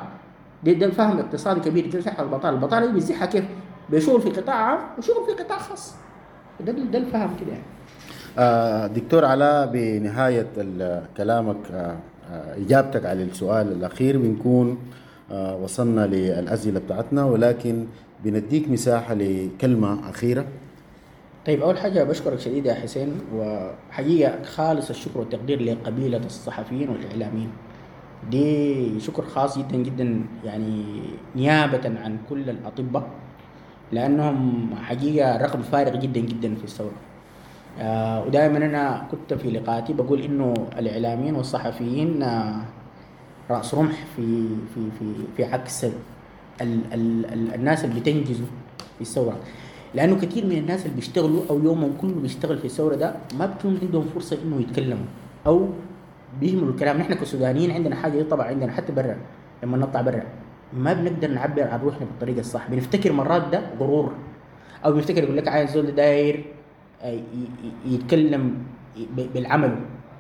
ده ده فهم اقتصادي كبير، تزح البطالة، البطالة دي بتزحها كيف؟ بشغل في قطاع عام وشغل في قطاع خاص. ده ده الفهم كده يعني. آه دكتور علاء، بنهاية كلامك آه اجابتك على السؤال الاخير بنكون آه وصلنا للاسئلة بتاعتنا، ولكن بنديك مساحة لكلمة اخيرة. طيب، اول حاجة بشكرك شديد يا حسين، وحقيقة خالص الشكر والتقدير لقبيله الصحفيين والاعلاميين، دي شكر خاص جدا جدا يعني نيابة عن كل الاطباء، لانهم حقيقة رقم فارق جدا جدا في الثورة. آه ودائما انا كنت في لقاءاتي بقول انه الاعلاميين والصحفيين آه راس رمح في في في في عكس ال ال ال الناس اللي بتنجزوا في الثورة، لانه كثير من الناس اللي بيشتغلوا او يومهم كله بيشتغل في الثورة ده ما بتكون عندهم فرصة انه يتكلموا او بيهملوا الكلام. نحن كسودانيين عندنا حاجة طبعا عندنا حتى برا، لما نطلع برا ما بنقدر نعبر عن روحنا بالطريقة الصح، بنفتكر مرات ده غرور، او بنفتكر يقول لك عايز زول داير يتكلم بالعمل.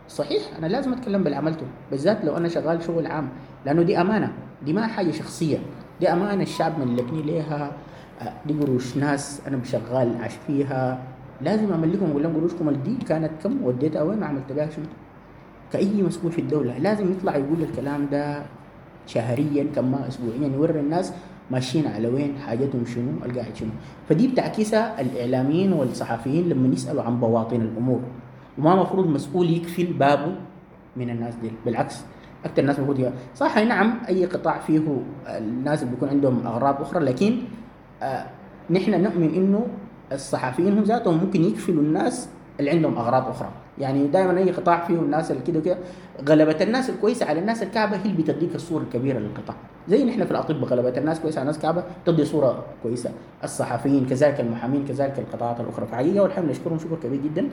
صحيح انا لازم اتكلم بالعملته، بالذات لو انا شغال شغل عام، لانه دي امانه، دي ما حاجة شخصية، دي امانه الشعب ملكني ليها، دي قروش ناس انا بشغال عاش فيها، لازم املكهم واقول لهم قروشكم دي كانت كم وديتها وين وعملت بها شنو. كأي مسؤول في الدولة لازم يطلع يقول الكلام ده شهريا كما اسبوعيا، يوري الناس ماشيين على وين، حاجتهم شنو، القاعد شنو. فدي بتعكسها الاعلاميين والصحفيين لما يسالوا عن بواطن الامور، وما مفروض مسؤول يكفل بابه من الناس دي، بالعكس اكثر الناس المفروض صح. نعم اي قطاع فيه الناس اللي بيكون عندهم اغراض اخرى، لكن آه نحن نؤمن انه الصحفيين هم ذاتهم ممكن يكفلوا الناس اللي عندهم اغراض اخرى. يعني دائما اي قطاع فيه الناس اللي كده وكده، غلبة الناس الكويسة على الناس الكعبة هي اللي بتديك الصورة الكبيرة للقطاع. زي نحن في الاطباء غلبة الناس كويسة على الناس الكعبة تدي صوره كويسة، الصحفيين كذلك، المحامين كذلك، القطاعات الاخرى. فحقيقة والحمد لله نشكرهم شكر كبير جدا.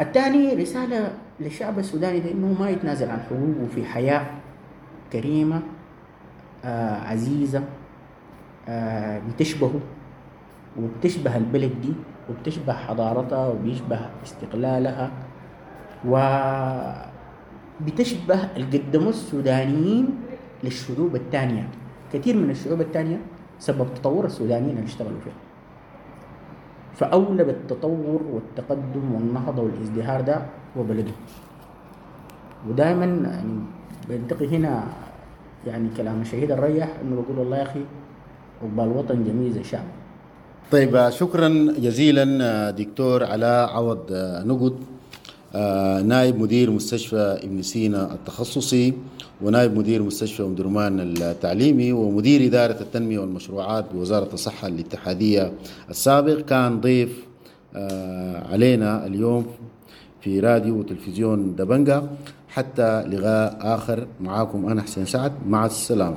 الثاني رسالة للشعب السوداني ده انه ما يتنازل عن حقوقه في حياة كريمة آه عزيزه آه بتشبهه وبتشبه البلد دي وبتشبه حضارتها وبيشبه استقلالها وبتشبه اللي قدموه السودانيين للشعوب الثانية. كثير من الشعوب الثانية سبب تطور السودانيين اللي اشتغلوا فيها، فأولى بالتطور والتقدم والنهضة والازدهار ده هو بلده. ودائما يعني بنتقي هنا يعني كلام الشهيد الريح انه بقول والله يا اخي عقبال وطن جميل زي شعب. طيب، شكرا جزيلا دكتور علاء عوض نقد آه، نائب مدير مستشفى ابن سينا التخصصي، ونائب مدير مستشفى أم درمان التعليمي، ومدير إدارة التنمية والمشروعات بوزارة الصحة الاتحادية السابق، كان ضيف آه، علينا اليوم في راديو وتلفزيون دبنجا. حتى لقاء آخر، معاكم أنا حسين سعد، مع السلامة.